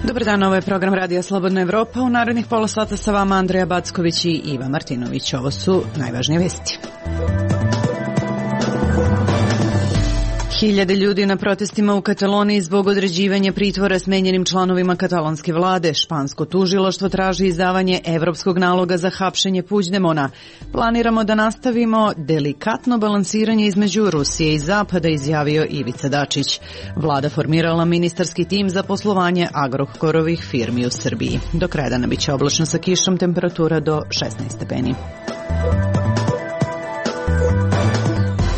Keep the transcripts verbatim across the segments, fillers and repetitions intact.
Dobar dan, ovo je program Radija Slobodna Evropa. U narednih pola sata sa vama Andreja Backović i Iva Martinović. Ovo su najvažnije vesti. Hiljade ljudi na protestima u Kataloniji zbog određivanja pritvora smenjenim članovima katalonske vlade. Špansko tužilaštvo traži izdavanje evropskog naloga za hapšenje Puigdemona. Planiramo da nastavimo delikatno balansiranje između Rusije i Zapada, izjavio Ivica Dačić. Vlada formirala ministarski tim za poslovanje Agrokorovih firmi u Srbiji. Do kraja dana biće oblačno sa kišom, temperatura do šesnaest stepeni.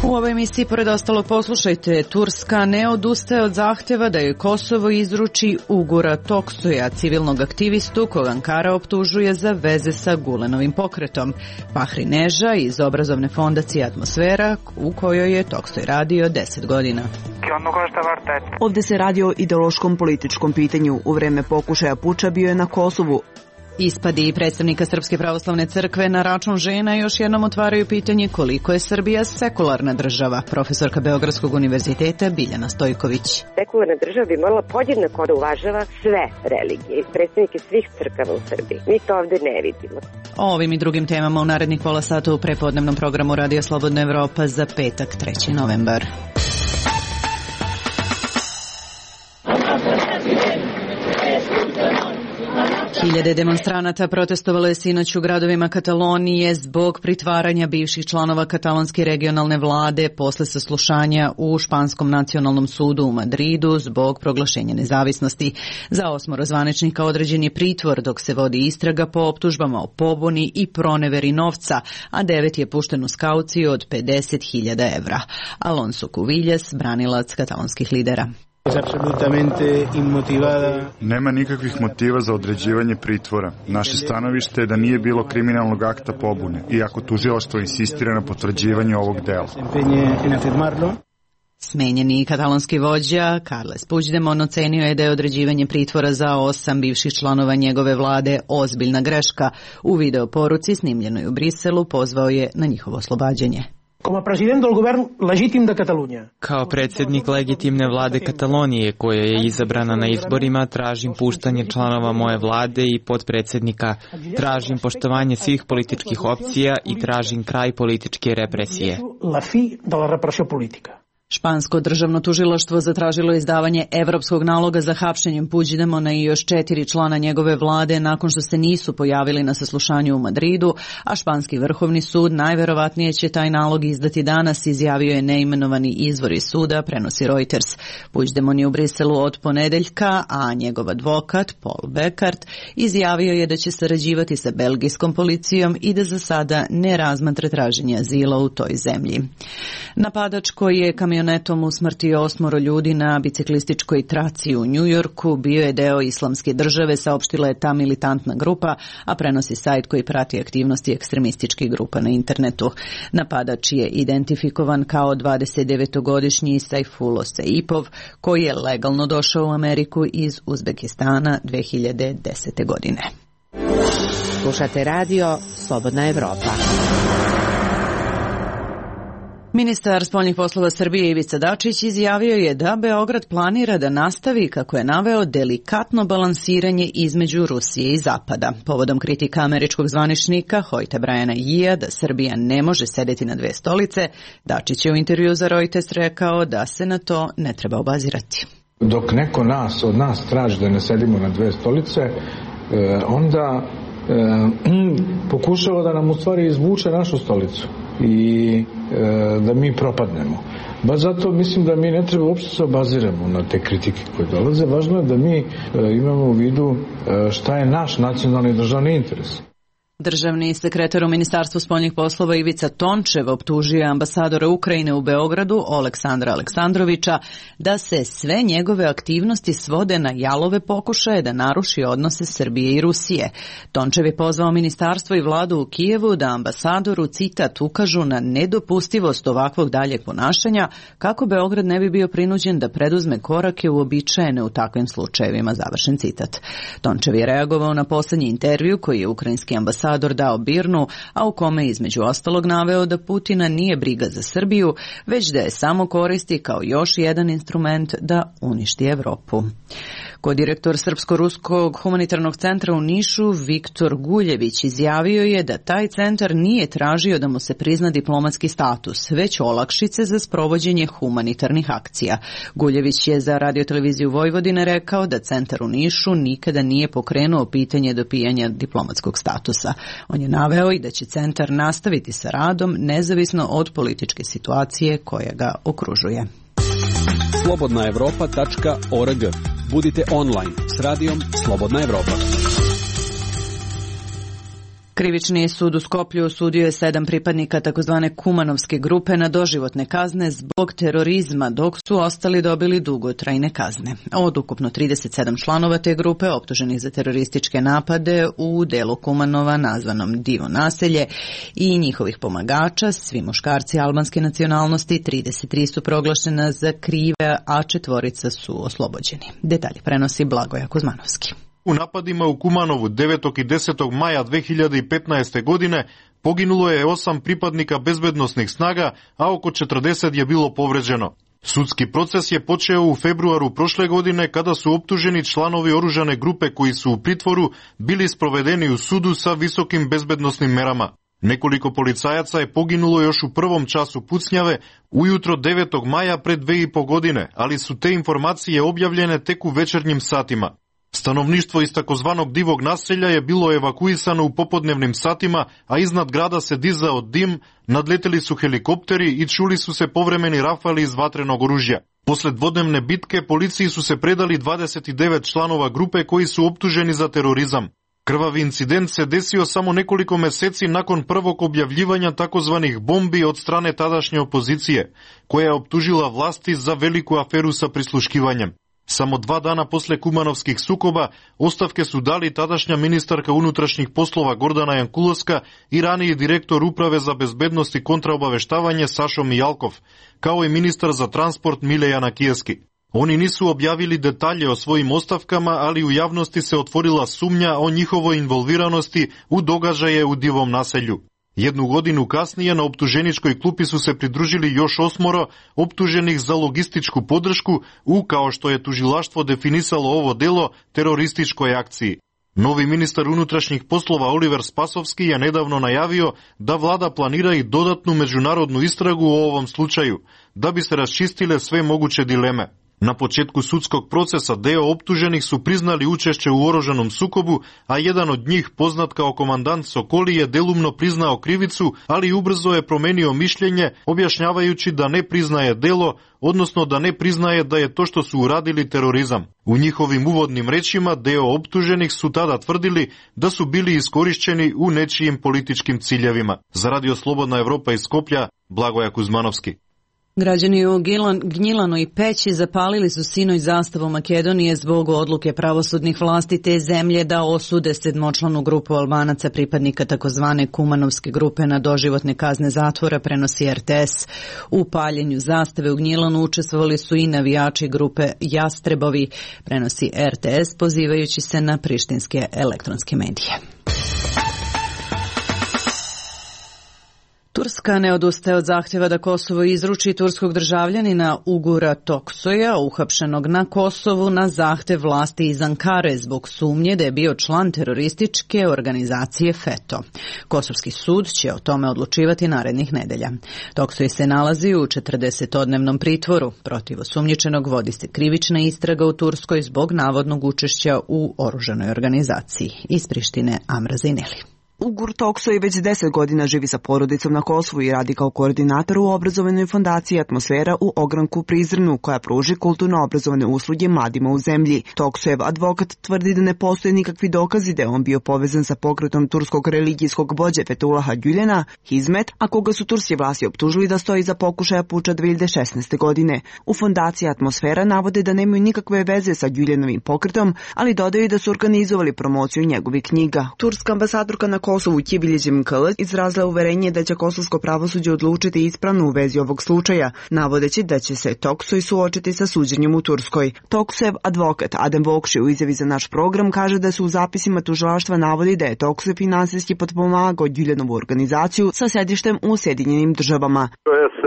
U ovoj emisiji, pored ostalog, poslušajte, Turska ne odustaje od zahtjeva da joj Kosovo izruči Ugura Toksoja, civilnog aktivistu kog Ankara optužuje za veze sa Gulenovim pokretom. Fahri Neža iz obrazovne fondacije Atmosfera, u kojoj je Toksoj radio deset godina. Ovdje se radi o ideološkom političkom pitanju. U vreme pokušaja puča bio je na Kosovu. Ispadi predstavnika Srpske pravoslavne crkve na račun žena još jednom otvaraju pitanje koliko je Srbija sekularna država. Profesorka Beogradskog univerziteta Biljana Stojković. Sekularna država bi morala podjednako da uvažava sve religije i predstavnike svih crkava u Srbiji. Mi to ovdje ne vidimo. O ovim i drugim temama u narednih pola sata u prepodnevnom programu Radija Slobodna Evropa za petak treći novembar. Hiljade demonstranata protestovalo je sinoć u gradovima Katalonije zbog pritvaranja bivših članova katalonske regionalne vlade posle saslušanja u Španskom nacionalnom sudu u Madridu zbog proglašenja nezavisnosti. Za osmoro zvaničnika određen je pritvor dok se vodi istraga po optužbama o pobuni i proneveri novca, a devet je pušten uz kauciju od pedeset hiljada evra. Alonso Cuvillas, branilac katalonskih lidera. Nema nikakvih motiva za određivanje pritvora. Naše stanovište je da nije bilo kriminalnog akta pobune, iako tužilaštvo insistira na potvrđivanju ovog dela. Smenjeni katalonski vođa Carles Puigdemont ocenio je da je određivanje pritvora za osam bivših članova njegove vlade ozbiljna greška. U video poruci snimljenoj u Briselu pozvao je na njihovo oslobađanje. Kao predsjednik legitimne vlade Katalonije, koja je izabrana na izborima, tražim puštanje članova moje vlade i potpredsjednika, tražim poštovanje svih političkih opcija i tražim kraj političke represije. Špansko državno tužilaštvo zatražilo izdavanje evropskog naloga za hapšenjem Puigdemona i još četiri člana njegove vlade nakon što se nisu pojavili na saslušanju u Madridu, a španski vrhovni sud najverovatnije će taj nalog izdati danas, izjavio je neimenovani izvor iz suda, prenosi Reuters. Puigdemont je u Briselu od ponedeljka, a njegov advokat Paul Beckart izjavio je da će sarađivati sa belgijskom policijom i da za sada ne razmatra traženje azila u toj zemlji. Napadač koji je kamion Netom usmrtio osmoro ljudi na biciklističkoj traci u Njujorku bio je deo Islamske države, saopštila je ta militantna grupa, a prenosi sajt koji prati aktivnosti ekstremističkih grupa na internetu. Napadač je identifikovan kao dvadesetdevetogodišnji Sajfulo Seipov, koji je legalno došao u Ameriku iz Uzbekistana dve hiljade desete. godine. Slušate radio Slobodna Evropa. Ministar spoljnih poslova Srbije Ivica Dačić izjavio je da Beograd planira da nastavi, kako je naveo, delikatno balansiranje između Rusije i Zapada. Povodom kritika američkog zvaničnika Hojta Brajana Jija da Srbija ne može sedeti na dve stolice, Dačić je u intervju za Reuters rekao da se na to ne treba obazirati. Dok neko nas od nas traži da ne sedimo na dve stolice, onda pokušava da nam u stvari izvuče našu stolicu i e, da mi propadnemo. Ba zato mislim da mi ne treba uopšte se obaziramo na te kritike koje dolaze. Važno je da mi e, imamo u vidu e, šta je naš nacionalni državni interes. Državni sekretar u Ministarstvu spoljnih poslova Ivica Tončev optužio je ambasadora Ukrajine u Beogradu Oleksandra Aleksandrovića da se sve njegove aktivnosti svode na jalove pokušaje da naruši odnose Srbije i Rusije. Tončev je pozvao ministarstvo i vladu u Kijevu da ambasadoru, citat, ukažu na nedopustivost ovakvog daljeg ponašanja kako Beograd ne bi bio prinuđen da preduzme korake uobičajene u takvim slučajevima, završen citat. Tončev je reagovao na posljednji intervju koji je ukrajinski ambasador dao Birnu, a u kome između ostalog naveo da Putina nije briga za Srbiju, već da je samo koristi kao još jedan instrument da uništi Evropu. Kodirektor Srpsko-ruskog humanitarnog centra u Nišu Viktor Guljević izjavio je da taj centar nije tražio da mu se prizna diplomatski status, već olakšice za sprovođenje humanitarnih akcija. Guljević je za radioteleviziju Vojvodine rekao da centar u Nišu nikada nije pokrenuo pitanje dobijanja diplomatskog statusa. On je naveo i da će centar nastaviti sa radom nezavisno od političke situacije koja ga okružuje. slobodna evropa tačka org. Budite online s radijom Slobodna Evropa. Krivični sud u Skoplju osudio je sedam pripadnika takozvane Kumanovske grupe na doživotne kazne zbog terorizma, dok su ostali dobili dugotrajne kazne. Od ukupno trideset sedam članova te grupe optuženih za terorističke napade u delu Kumanova nazvanom Divo naselje i njihovih pomagača, svi muškarci albanske nacionalnosti, trideset tri su proglašena za krive, a četvorica su oslobođeni. Detalje prenosi Blagoja Kuzmanovski. U napadima u Kumanovu devetog i desetog maja dve hiljade petnaeste. godine poginulo je osam pripadnika bezbednosnih snaga, a oko četrdeset je bilo povređeno. Sudski proces je počeo u februaru prošle godine kada su optuženi članovi oružane grupe koji su u pritvoru bili sprovedeni u sudu sa visokim bezbednosnim merama. Nekoliko policajaca je poginulo još u prvom času pucnjave ujutro devetog maja pre dve i po godine, ali su te informacije objavljene tek u večernjim satima. Stanovništvo iz takozvanog Divog naselja je bilo evakuisano u popodnevnim satima, a iznad grada se dizao dim, nadleteli su helikopteri i čuli su se povremeni rafali iz vatrenog oružja. Posle dvodnevne bitke policiji su se predali dvadeset devet članova grupe koji su optuženi za terorizam. Krvavi incident se desio samo nekoliko meseci nakon prvog objavljivanja takozvanih bombi od strane tadašnje opozicije, koja je optužila vlasti za veliku aferu sa prisluškivanjem. Samo dva dana posle kumanovskih sukoba ostavke su dali tadašnja ministarka unutrašnjih poslova Gordana Jankulovska i raniji direktor Uprave za bezbednost i kontraobaveštavanje Sašo Mijalkov, kao i ministar za transport Mile Janakijevski. Oni nisu objavili detalje o svojim ostavkama, ali u javnosti se otvorila sumnja o njihovoj involviranosti u događaje u Divom naselju. Jednu godinu kasnije na optuženičkoj klupi su se pridružili još osmoro optuženih za logističku podršku u, kao što je tužilaštvo definisalo ovo delo, terorističkoj akciji. Novi ministar unutrašnjih poslova Oliver Spasovski je nedavno najavio da vlada planira i dodatnu međunarodnu istragu o ovom slučaju, da bi se raščistile sve moguće dileme. Na početku sudskog procesa deo optuženih su priznali učešće u oružanom sukobu, a jedan od njih, poznat kao komandant Sokoli, je delumno priznao krivicu, ali ubrzo je promenio mišljenje, objašnjavajući da ne priznaje delo, odnosno da ne priznaje da je to što su uradili terorizam. U njihovim uvodnim rečima deo optuženih su tada tvrdili da su bili iskorišćeni u nečijim političkim ciljevima. Za Radio Slobodna Evropa iz Skoplja, Blagoja Kuzmanovski. Građani u Gnjilanu i Peći zapalili su sinoć zastavu Makedonije zbog odluke pravosudnih vlasti te zemlje da osude sedmočlanu grupu Albanaca pripadnika takozvane Kumanovske grupe na doživotne kazne zatvora, prenosi er te es. U paljenju zastave u Gnjilanu učestvovali su i navijači grupe Jastrebovi, prenosi er te es pozivajući se na prištinske elektronske medije. Turska ne odustaje od zahtjeva da Kosovo izruči turskog državljanina Ugura Toksoja, uhapšenog na Kosovu na zahtev vlasti iz Ankare zbog sumnje da je bio član terorističke organizacije FETO. Kosovski sud će o tome odlučivati narednih nedelja. Toksoj se nalazi u četrdesetodnevnom pritvoru. Protiv osumnjičenog vodi se krivična istraga u Turskoj zbog navodnog učešća u oružanoj organizaciji. Iz Prištine, Amra Zajneli. Ugur Toksoj već deset godina živi sa porodicom na Kosovu i radi kao koordinator u obrazovanoj fondaciji Atmosfera u ogranku Prizrenu, koja pruži kulturno-obrazovane usluge mladima u zemlji. Toksojev advokat tvrdi da ne postoje nikakvi dokazi da je on bio povezan sa pokretom turskog religijskog vođe Fetulaha Gülen'a, Hizmet, a koga su turske vlasti optužili da stoji za pokušaja puča dve hiljade šesnaeste. godine. U fondaciji Atmosfera navode da nemaju nikakve veze sa Gülenovim pokretom, ali dodaju da su organizovali promociju njegovih knjiga. Turska ambasadorka na Kosovu Kibiljeđim Kılıç izrazila uverenje da će kosovsko pravosuđe odlučiti ispravno u vezi ovog slučaja, navodeći da će se Toksoj suočiti sa suđenjem u Turskoj. Toksojev advokat Adem Vokši u izjavi za naš program kaže da su u zapisima tužilaštva navodi da je Toksoj finansijski potpomagao Gülenovu organizaciju sa sedištem u Sjedinjenim državama. To jest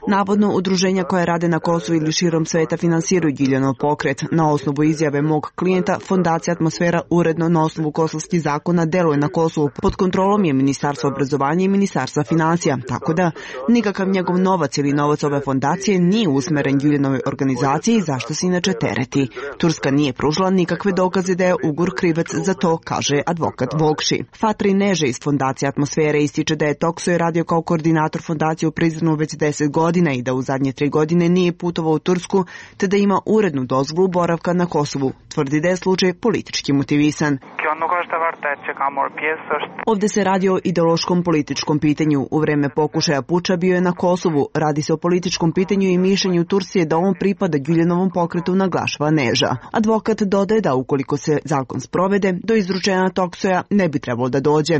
Navodno, udruženja koja rade na Kosovu ili širom sveta finansiraju Giljanov pokret. Na osnovu izjave mog klijenta, Fondacija Atmosfera uredno na osnovu kosovskih zakona deluje na Kosovu. Pod kontrolom je Ministarstva obrazovanja i Ministarstva financija, tako da nikakav njegov novac ili novac ove fondacije nije usmeren Giljanovoj organizaciji, zašto se inače tereti. Turska nije pružila nikakve dokaze da je Ugur krivac za to, kaže advokat Vokši. Fatri Neže iz Fondacije Atmosfere ističe da je Toksoj radio kao koordinator fondacije u Prizrenu već deset godina i da u zadnje tri godine nije putovao u Tursku, te da ima urednu dozvolu boravka na Kosovu. Tvrdi da je slučaj politički motivisan. Ovde se radi o ideološkom političkom pitanju. U vreme pokušaja puča bio je na Kosovu. Radi se o političkom pitanju i mišljenju Turcije da on pripada Güljanovom pokretu, naglašava Neža. Advokat dodaje da ukoliko se zakon sprovede, do izručenja Toksoja ne bi trebalo da dođe.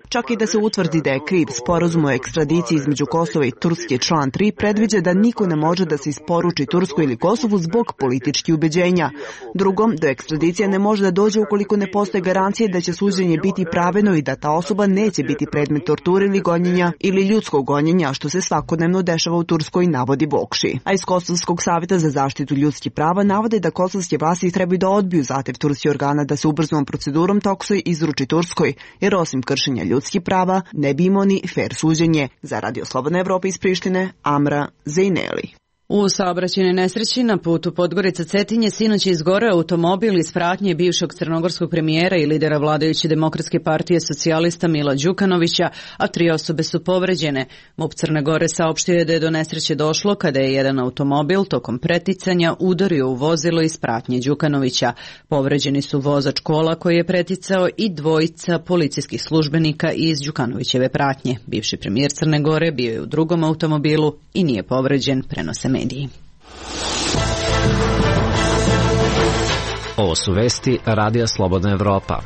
Čak i da se utvrdi da je kriv, sporazum o ekstradiciji između Kosova i Turske član tri predviđa da niko ne može da se isporuči Tursku ili Kosovu zbog političkih ubeđenja. Drugom, do ekstradicije ne može da dođe ukoliko ne postoje garancije da će suđenje biti pravedno i da ta osoba neće biti predmet torture ili gonjenja ili ljudskog gonjenja, što se svakodnevno dešava u Turskoj, navodi Vokši. A iz Kosovskog savjeta za zaštitu ljudskih prava navode da kosovske vlasti trebaju da odbiju zahtev turskih organa da se ubrzanom procedurom Toksoj izruči Turskoj, jer osim kršenja ljudskih prava ne bi imao ni fer suđenje. Za Radio Slobodna Evropa iz Prištine, Amra Zejneli. U saobraćajnoj nesreći na putu Podgorica-Cetinje sinoć je izgoreo automobil iz pratnje bivšeg crnogorskog premijera i lidera vladajuće Demokratske partije socijalista Mila Đukanovića, a tri osobe su povređene. MUP Crne Gore saopštio je da je do nesreće došlo kada je jedan automobil tokom preticanja udario u vozilo iz pratnje Đukanovića. Povređeni su vozač kola koji je preticao i dvojica policijskih službenika iz Đukanovićeve pratnje. Bivši premijer Crne Gore bio je u drugom automobilu i nije povređen, prenose mediji. Ovo su vesti Radija Slobodna Evropa.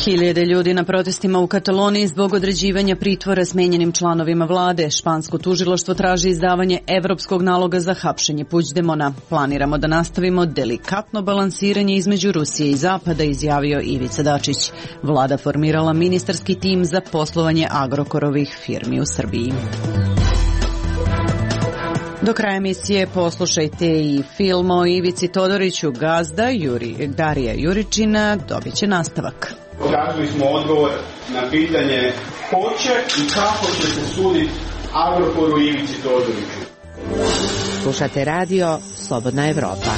Hiljade ljudi na protestima u Kataloniji zbog određivanja pritvora smenjenim članovima vlade. Špansko tužilaštvo traži izdavanje evropskog naloga za hapšenje Puigdemona. Planiramo da nastavimo delikatno balansiranje između Rusije i Zapada, izjavio Ivica Dačić. Vlada formirala ministarski tim za poslovanje Agrokorovih firmi u Srbiji. Do kraja emisije poslušajte i film o Ivici Todoriću. Gazda Juri, Darija Juričina dobit će nastavak. Tražili smo odgovor na pitanje ko će i kako će se suditi Agrokoru i Ivici Todoriću. Slušate radio Slobodna Evropa.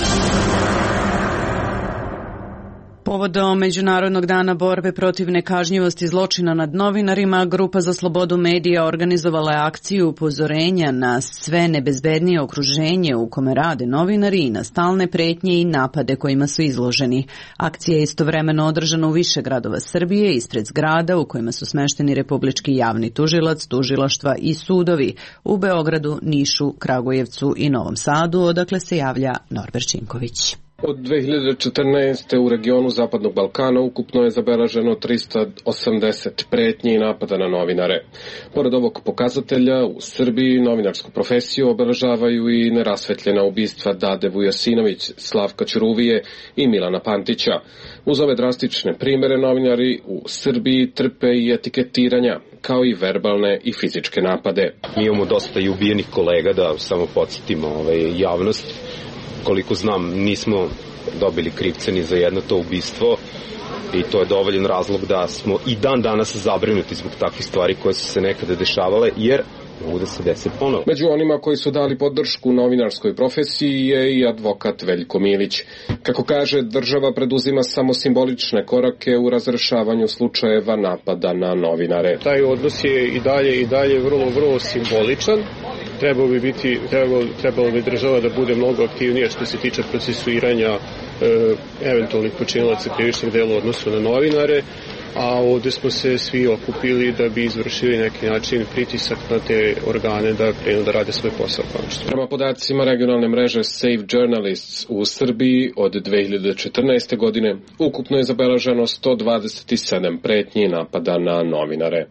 Povodom Međunarodnog dana borbe protiv nekažnjivosti zločina nad novinarima, Grupa za slobodu medija organizovala je akciju upozorenja na sve nebezbednije okruženje u kome rade novinari i na stalne pretnje i napade kojima su izloženi. Akcija je istovremeno održana u više gradova Srbije, ispred zgrada u kojima su smešteni Republički javni tužilac, tužilaštva i sudovi u Beogradu, Nišu, Kragujevcu i Novom Sadu, odakle se javlja Norbert Činković. Od dve hiljade četrnaeste. u regionu Zapadnog Balkana ukupno je zabeleženo trista osamdeset pretnji i napada na novinare. Pored ovog pokazatelja, u Srbiji novinarsku profesiju obeležavaju i nerasvetljena ubistva Dade Vujasinović, Slavka Ćuruvije i Milana Pantića. Uz ove drastične primere novinari u Srbiji trpe i etiketiranja, kao i verbalne i fizičke napade. Mi imamo dosta i ubijenih kolega, da samo podsjetimo ovaj, javnost. Koliko znam, nismo dobili krivce ni za jedno to ubistvo i to je dovoljan razlog da smo i dan danas zabrinuti zbog takvih stvari koje su se nekada dešavale, jer mogu da se dese ponovo. Među onima koji su dali podršku novinarskoj profesiji je i advokat Veljko Milić. Kako kaže, država preduzima samo simbolične korake u razrešavanju slučajeva napada na novinare. Taj odnos je i dalje i dalje vrlo, vrlo simboličan. Trebalo bi biti, trebalo, trebalo bi država da bude mnogo aktivnija što se tiče procesuiranja e, eventualnih počinilaca krivičnih dela u odnosu na novinare, a ovde smo se svi okupili da bi izvršili neki način pritisak na te organe da krenu da rade svoj posao. Prema podacima regionalne mreže Save Journalists u Srbiji od dve hiljade četrnaeste. godine ukupno je zabeleženo sto dvadeset sedam pretnji i napada na novinare.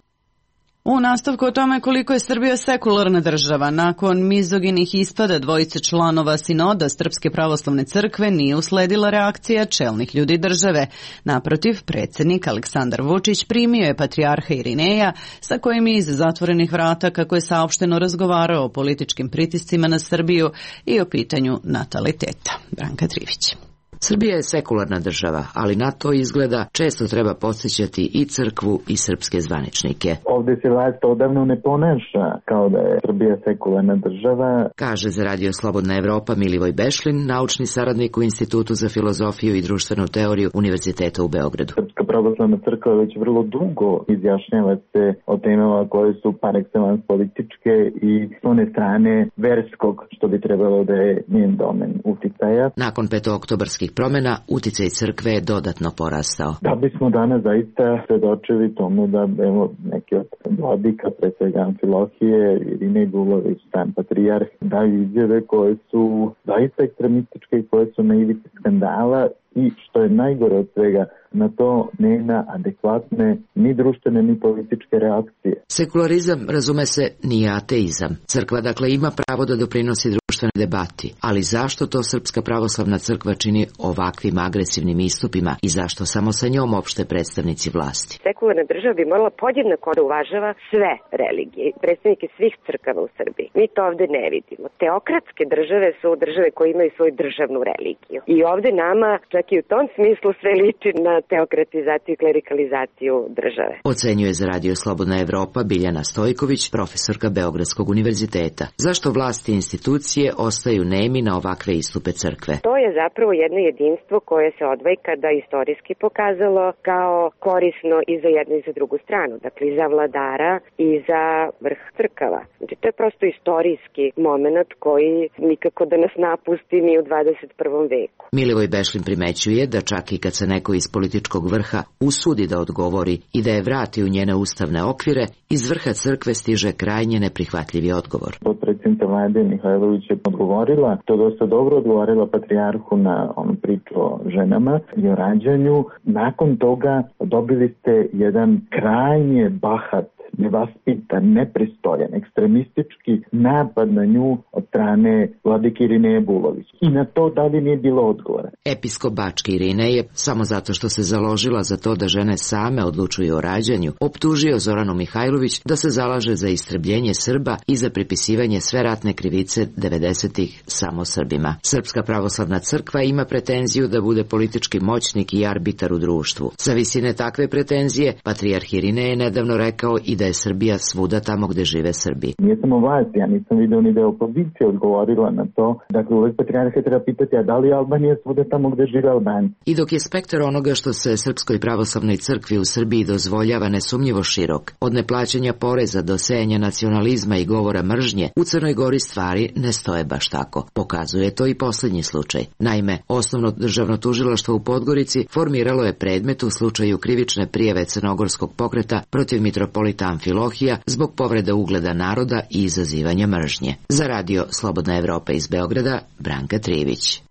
U nastavku o tome koliko je Srbija sekularna država, nakon mizoginih ispada dvojice članova sinoda Srpske pravoslavne crkve nije usledila reakcija čelnih ljudi države. Naprotiv, predsjednik Aleksandar Vučić primio je patrijarha Irineja, sa kojim je iz zatvorenih vrata, kako je saopšteno, razgovarao o političkim pritiscima na Srbiju i o pitanju nataliteta. Branka Trivić. Srbija je sekularna država, ali na to izgleda često treba podsjećati i crkvu i srpske zvaničnike. Ovdje se vlast odavno ne ponaša kao da je Srbija sekularna država, kaže za Radio Slobodna Evropa Milivoj Bešlin, naučni saradnik u Institutu za filozofiju i društvenu teoriju Univerziteta u Beogradu. Srpska pravoslavna crkva već vrlo dugo izjašnjava se o temama koje su par excellence političke i s one strane verskog, što bi trebalo da je njen domen uticaja. Nakon petooktobarskih promjena, uticaj crkve je dodatno porastao. Da bismo danas zaista svedočili tomu da evo, neki od vladika, pre svega Amfilohije, Irinej Bulović, sam patrijarh, daju izjave koje su zaista ekstremističke i koje su na ivici skandala i, što je najgore od svega, na to nema adekvatne ni društvene ni političke reakcije. Sekularizam, razume se, nije ateizam. Crkva dakle ima pravo da doprinosi društvene debati, ali zašto to Srpska pravoslavna crkva čini ovakvim agresivnim istupima i zašto samo sa njom opšte predstavnici vlasti? Sekularna država bi morala podjednako da uvažava sve religije, predstavnike svih crkava u Srbiji. Mi to ovde ne vidimo. Teokratske države su države koje imaju svoju državnu religiju. I ovde nama, čak i u tom smislu, sve liči na teokratizaciju i klerikalizaciju države. Ocenjuje za Radio Slobodna Evropa Biljana Stojković, profesorka Beogradskog univerziteta. Zašto vlasti i institucije ostaju nemi na ovakve istupe crkve? To je zapravo jedno jedinstvo koje se odvojkada istorijski pokazalo kao korisno i za jednu i za drugu stranu. Dakle, i za vladara i za vrh crkava. Znači, to je prosto istorijski moment koji nikako da nas napusti ni u dvadeset prvom veku. Milivoj Bešlin primećuje da čak i kad se neko iz političkog vrha usudi da odgovori i da je vrati u njene ustavne okvire, iz vrha crkve stiže krajnje neprihvatljivi odgovor. Potpredsjednica vlade Mihajlović je odgovorila, to dosta dobro odgovorila patrijarhu na onu priču o ženama i o rađanju. Nakon toga dobili ste jedan krajnje bahat, nevaspitan, nepristojan, ekstremistički napad na nju od strane vladike Irineja Bulović. I na to da li nije bilo odgovora. Episkop Bački Irinej je, samo zato što se založila za to da žene same odlučuju o rađanju, optužio Zoranu Mihajlović da se zalaže za istrebljenje Srba i za pripisivanje sve ratne krivice devedesetih samo Srbima. Srpska pravoslavna crkva ima pretenziju da bude politički moćnik i arbitar u društvu. Sa visine takve pretenzije, patrijarh Irinej je nedavno rekao i da je Srbija svuda tamo gde žive Srbi. Nije samo vlast, ja nisam vidio ni da je opozicija odgovorila na to. Dakle, uvek patrijarha treba pitati, a da li je Albanija svuda tamo gde žive Albanci? I dok je spektar onoga što se Srpskoj pravoslavnoj crkvi u Srbiji dozvoljava nesumnjivo širok, od neplaćanja poreza do sejanja nacionalizma i govora mržnje, u Crnoj Gori stvari ne stoje baš tako. Pokazuje to i posljednji slučaj. Naime, osnovno državno tužilaštvo u Podgorici formiralo je predmet u slučaju krivične prijave crnogorskog pokreta protiv mitropolita Amfilohija zbog povrede ugleda naroda i izazivanja mržnje. Za Radio Slobodna Evropa iz Beograda, Branka Trivić.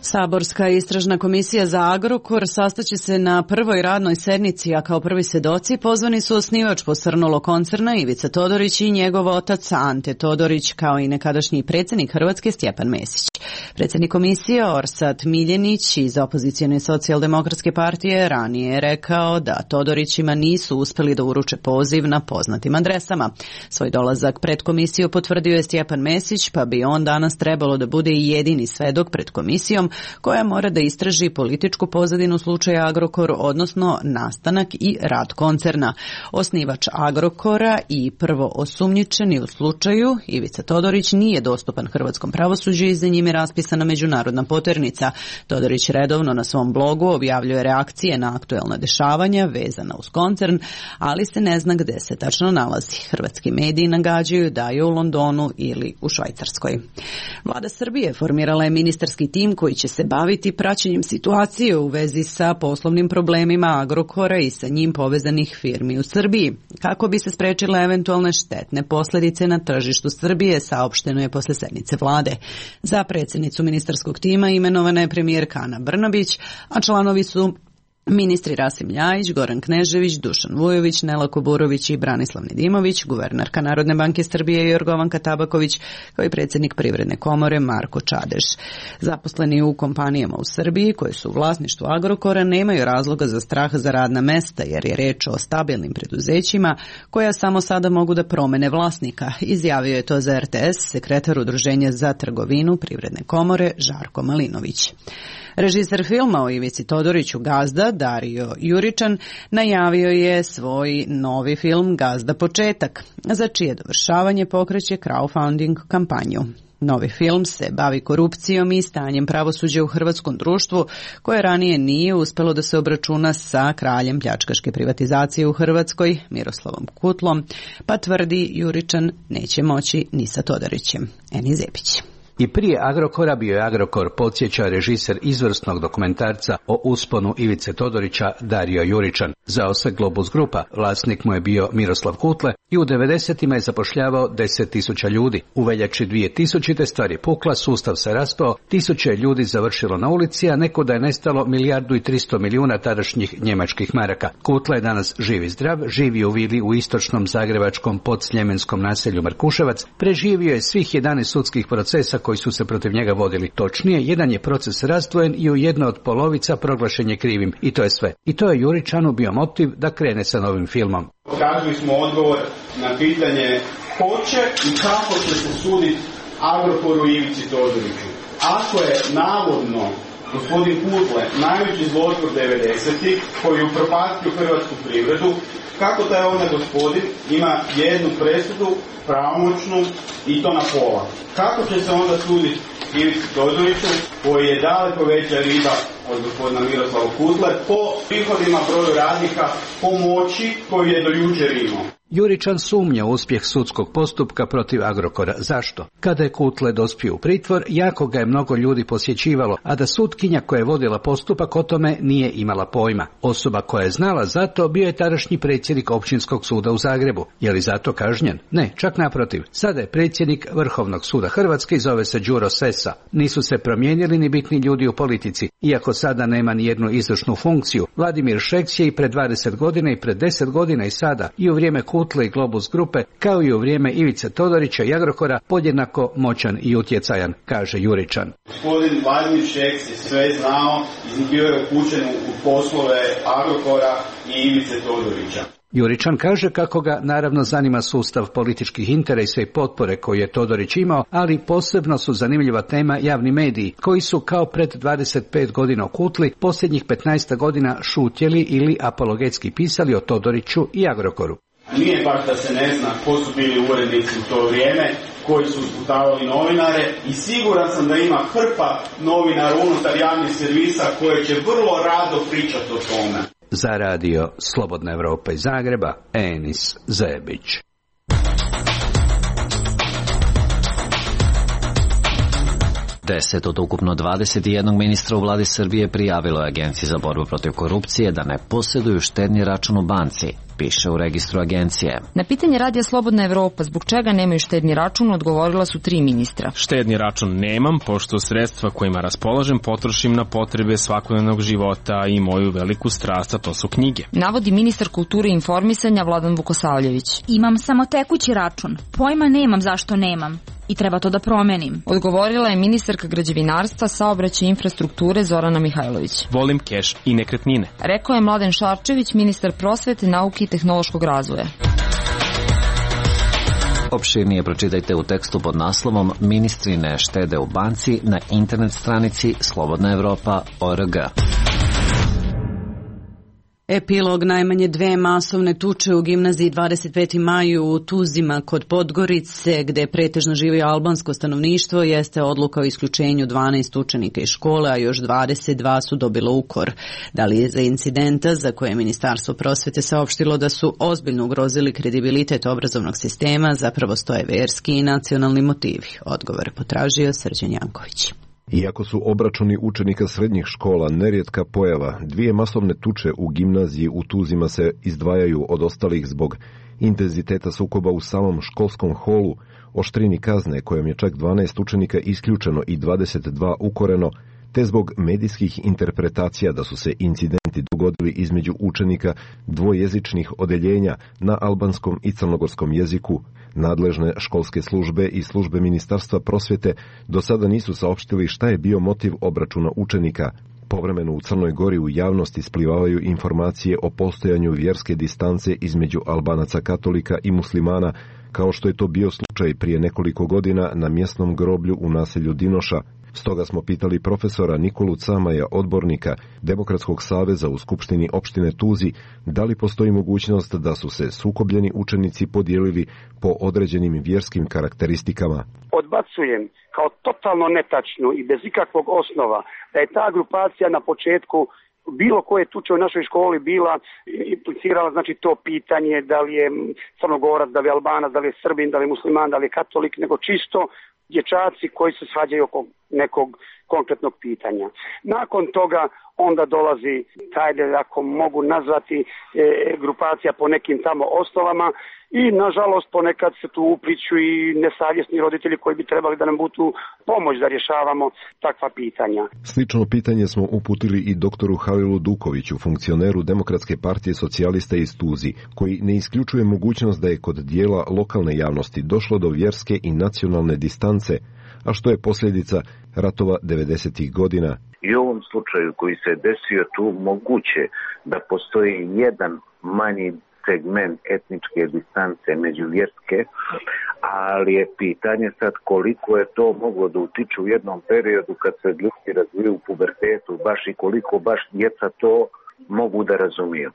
Saborska istražna komisija za Agrokor sastaće se na prvoj radnoj sednici, a kao prvi svedoci pozvani su osnivač posrnulog koncerna Ivica Todorić i njegov otac Ante Todorić, kao i nekadašnji predsjednik Hrvatske Stjepan Mesić. Predsjednik komisije Orsat Miljenić iz opozicione socijaldemokratske partije ranije je rekao da Todorićima nisu uspjeli da uruče poziv na poznatim adresama. Svoj dolazak pred komisiju potvrdio je Stjepan Mesić, pa bi on danas trebalo da bude i jedini svedok pred komisijom koja mora da istraži političku pozadinu slučaja Agrokor, odnosno nastanak i rad koncerna. Osnivač Agrokora i prvo osumnjičeni u slučaju, Ivica Todorić, nije dostupan hrvatskom pravosuđu i za njim je raspisana međunarodna poternica. Todorić redovno na svom blogu objavljuje reakcije na aktuelna dešavanja vezana uz koncern, ali se ne zna gde se tačno nalazi. Hrvatski mediji nagađaju da je u Londonu ili u Švajcarskoj. Vlada Srbije formirala je ministarski tim koji će se baviti praćenjem situacije u vezi sa poslovnim problemima Agrokora i sa njim povezanih firmi u Srbiji. Kako bi se sprečile eventualne štetne posledice na tržištu Srbije, saopšteno je posle sednice vlade. Za predsjednicu ministarskog tima imenovana je premijerka Ana Brnabić, a članovi su ministri Rasim Ljajić, Goran Knežević, Dušan Vujović, Nela Kuburović i Branislav Nedimović, guvernerka Narodne banke Srbije Jorgovanka Tabaković, kao i predsjednik Privredne komore Marko Čadež. Zaposleni u kompanijama u Srbiji, koje su u vlasništvu Agrokora, nemaju razloga za strah za radna mesta, jer je reč o stabilnim preduzećima koja samo sada mogu da promene vlasnika. Izjavio je to za er te es sekretar Udruženja za trgovinu Privredne komore Žarko Malinović. Režiser filma o Ivici Todoriću Gazda, Dario Juričan, najavio je svoj novi film Gazda početak, za čije dovršavanje pokreće crowdfunding kampanju. Novi film se bavi korupcijom i stanjem pravosuđa u hrvatskom društvu, koje ranije nije uspelo da se obračuna sa kraljem pljačkaške privatizacije u Hrvatskoj, Miroslavom Kutlom, pa tvrdi Juričan neće moći ni sa Todorićem. Eni Zepić. I prije Agrokora bio je Agrokor, podsjeća režiser izvrsnog dokumentarca o usponu Ivice Todorića Dario Juričan. Zao se Globus Grupa, vlasnik mu je bio Miroslav Kutle i u devedesetima je zapošljavao deset tisuća ljudi. U veljači dvije tisućite stvar je pukla, sustav se raspao, tisuće ljudi završilo na ulici, a neko da je nestalo milijardu i tristo milijuna tadašnjih njemačkih maraka. Kutle je danas živ i zdrav, živi u vili u istočnom zagrebačkom podsljemenskog naselju Markuševac, preživio je svih jedanaest sudskih procesa koji su se protiv njega vodili. Točnije, jedan je proces razdvojen i u jedna od polovica proglašen je krivim. I to je sve. I to je Juričanu bio motiv da krene sa novim filmom. Tražili smo odgovor na pitanje ko će i kako će se suditi Agrokoru i Ivici Todoriću. Ako je navodno gospodin Kutle najveći zlotvor devedesetih koji je upropastio hrvatsku privredu, kako taj onda gospodin ima jednu presudu pravomoćnu i to na pola? Kako će se onda suditi Ivici Todoriću, koji je daleko veća riba od gospodina Miroslava Kutle, po prihodima, broju radnika, po moći koju je do jučer imao? Juričan sumnja u uspjeh sudskog postupka protiv Agrokora. Zašto? Kada je Kutle dospio u pritvor, jako ga je mnogo ljudi posjećivalo, a da sutkinja koja je vodila postupak o tome nije imala pojma. Osoba koja je znala za to bio je tadašnji predsjednik Općinskog suda u Zagrebu. Je li zato kažnjen? Ne, čak naprotiv. Sada je predsjednik Vrhovnog suda Hrvatske i zove se Đuro Sesa. Nisu se promijenili ni bitni ljudi u politici. Iako sada nema ni jednu izvršnu funkciju, Vladimir Šeks je i pred dvadeset godina i pred deset godina i sada i u vrijeme Kutle i Globus Grupe, kao i u vrijeme Ivice Todorića i Agrokora, podjednako moćan i utjecajan, kaže Juričan. Gospodin Vladimir Šeks je sve znao i bio je upućen u poslove Agrokora i Ivice Todorića. Juričan kaže kako ga naravno zanima sustav političkih interesa i potpore koju je Todorić imao, ali posebno su zanimljiva tema javni mediji, koji su kao pred dvadeset pet godina okutli posljednjih petnaest godina šutjeli ili apologetski pisali o Todoriću i Agrokoru. Nije baš da se ne zna ko su bili urednici u to vrijeme, koji su sputavali novinare, i siguran sam da ima hrpa novinara unutar javnih servisa koje će vrlo rado pričati o tome. Za radio Slobodna Evropa iz Zagreba, Enis Zebić. deset od ukupno dvadeset jedan ministra u vladi Srbije prijavilo je Agenciji za borbu protiv korupcije da ne posjeduju štedni račun u banci, piše u registru agencije. Na pitanje radija Slobodna Evropa zbog čega nemaju štedni račun odgovorila su tri ministra. Štedni račun nemam, pošto sredstva kojima raspolažem potrošim na potrebe svakodnevnog života i moju veliku strast, a to su knjige. Navodi ministar kulture i informisanja Vladan Vukosavljević. Imam samo tekući račun, pojma nemam zašto nemam. I treba to da promenim. Odgovorila je ministarka građevinarstva, saobraćaja i infrastrukture Zorana Mihajlović. Volim keš i nekretnine. Rekao je Mladen Šarčević, ministar prosvete, nauke i tehnološkog razvoja. Opširnije pročitajte u tekstu pod naslovom Ministri ne štede u banci na internet stranici slobodna evropa tačka org. Epilog najmanje dve masovne tuče u gimnaziji dvadeset peti maj u Tuzima kod Podgorice, gde pretežno živi albansko stanovništvo, jeste odluka o isključenju dvanaest učenika iz škole, a još dvadeset dva su dobilo ukor. Da li je za incidenta za koje je Ministarstvo prosvete saopštilo da su ozbiljno ugrozili kredibilitet obrazovnog sistema, zapravo stoje verski i nacionalni motivi? Odgovor potražio Srđan Janković. Iako su obračuni učenika srednjih škola nerijetka pojava, dvije masovne tuče u gimnaziji u Tuzima se izdvajaju od ostalih zbog intenziteta sukoba u samom školskom holu, oštrini kazne kojom je čak dvanaest učenika isključeno i dvadeset dva ukoreno, te zbog medijskih interpretacija da su se incidenti dogodili između učenika dvojezičnih odeljenja na albanskom i crnogorskom jeziku. Nadležne školske službe i službe Ministarstva prosvjete do sada nisu saopštili šta je bio motiv obračuna učenika. Povremeno u Crnoj Gori u javnosti isplivavaju informacije o postojanju vjerske distance između Albanaca katolika i muslimana, kao što je to bio slučaj prije nekoliko godina na mjesnom groblju u naselju Dinoša. Stoga smo pitali profesora Nikolu Camaja, odbornika Demokratskog saveza u Skupštini opštine Tuzi, da li postoji mogućnost da su se sukobljeni učenici podijelili po određenim vjerskim karakteristikama. Odbacujem kao totalno netačnu i bez ikakvog osnova da je ta grupacija na početku bilo koje tuče u našoj školi bila implicirala znači to pitanje da li je Crnogorac, da li je Albanac, da li je Srbin, da li je musliman, da li je katolik, nego čisto dječaci koji se svađaju oko nekog konkretnog pitanja. Nakon toga onda dolazi taj, ako mogu nazvati, e, grupacija po nekim tamo osnovama i nažalost ponekad se tu upliću i nesavjesni roditelji koji bi trebali da nam budu pomoć da rješavamo takva pitanja. Slično pitanje smo uputili i doktoru Halilu Dukoviću, funkcioneru Demokratske partije socijalista iz Tuzi, koji ne isključuje mogućnost da je kod dijela lokalne javnosti došlo do vjerske i nacionalne distance, a što je posljedica ratova devedesetih godina. I u ovom slučaju koji se desio tu moguće da postoji jedan manji segment etničke distance međuvjerske, ali je pitanje sad koliko je to moglo da utiče u jednom periodu kad se ljudi razviju u pubertetu, baš i koliko baš djeca to mogu da razumiju.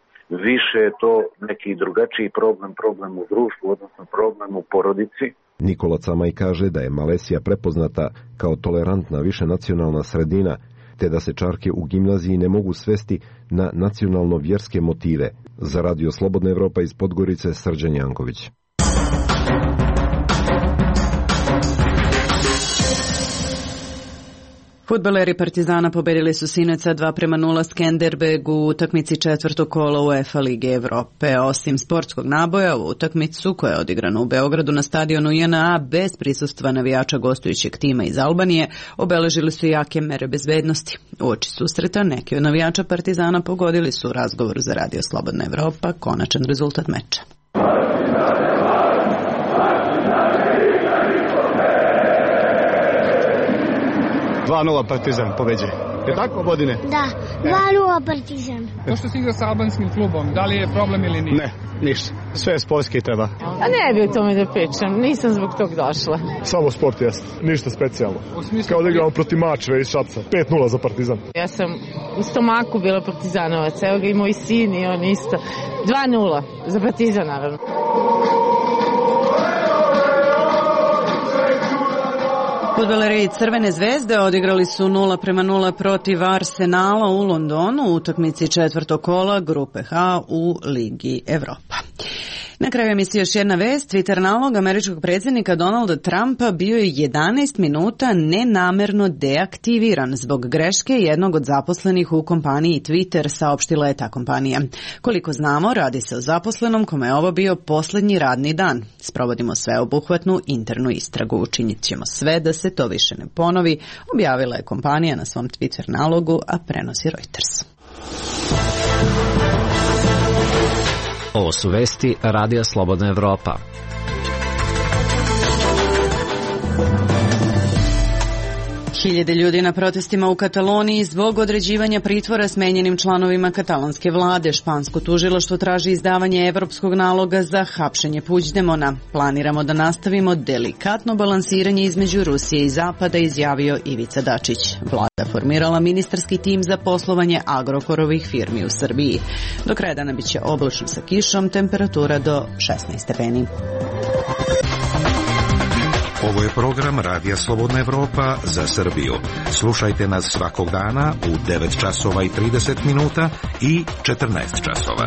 Više je to neki drugačiji problem, problem u društvu, odnosno problem u porodici. Nikola Camaj kaže da je Malesija prepoznata kao tolerantna višenacionalna sredina, te da se čarke u gimnaziji ne mogu svesti na nacionalno-vjerske motive. Za Radio Slobodna Evropa iz Podgorice, Srđan Janković. Fudbaleri Partizana pobedili su sinoć sa dva prema nula Skenderbeg u utakmici četvrtog kola UEFA Lige Evrope. Osim sportskog naboja, u utakmicu koja je odigrana u Beogradu na stadionu J N A bez prisustva navijača gostujućeg tima iz Albanije, obeležili su jake mere bezbednosti. Uoči susreta neki od navijača Partizana pogodili su u razgovoru za Radio Slobodna Evropa konačan rezultat meča. dva nula Partizan pobeđuje. Je tako, Bodine? Da, dva nula Partizan. To što si igra sa albanskim klubom, da li je problem ili nije? Ne, ništa. Sve je sportski treba. A ne bi o tome da pričam, nisam zbog tog došla. Samo sport jeste, ništa specijalno. Kao da igramo protiv Mačve iz Šapca. pet nula za Partizan. Ja sam u stomaku bila Partizanovac, evo ga i moj sin i on isto. dva nula za Partizan, naravno. Fudbaleri Crvene zvezde odigrali su nula prema nula protiv Arsenala u Londonu u utakmici četvrtog kola grupe H u Ligi Evropa. Na kraju emisije još jedna vest. Twitter nalog američkog predsjednika Donalda Trumpa bio je jedanaest minuta nenamerno deaktiviran zbog greške jednog od zaposlenih u kompaniji Twitter, saopštila je ta kompanija. Koliko znamo, radi se o zaposlenom kome je ovo bio posljednji radni dan. Sprovodimo sveobuhvatnu internu istragu. Učinit ćemo sve da se to više ne ponovi, objavila je kompanija na svom Twitter nalogu, a prenosi Reuters. Ovo su vesti Radija Slobodna Evropa. Hiljade ljudi na protestima u Kataloniji zbog određivanja pritvora smenjenim članovima katalonske vlade. Špansko tužilaštvo traži izdavanje evropskog naloga za hapšenje Puigdemona. Planiramo da nastavimo delikatno balansiranje između Rusije i Zapada, izjavio Ivica Dačić. Vlada formirala ministarski tim za poslovanje Agrokorovih firmi u Srbiji. Do kraja dana biće oblačno sa kišom, temperatura do šesnaest stepeni. Ovo je program Radija Slobodna Evropa za Srbiju. Slušajte nas svakog dana u devet časova i trideset minuta i četrnaest časova.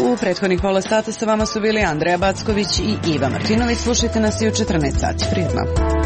U prethodnih pola sata sa vama su bili Andreja Backović i Iva Martinović. Slušajte nas i u četrnaest sati. Prijetno.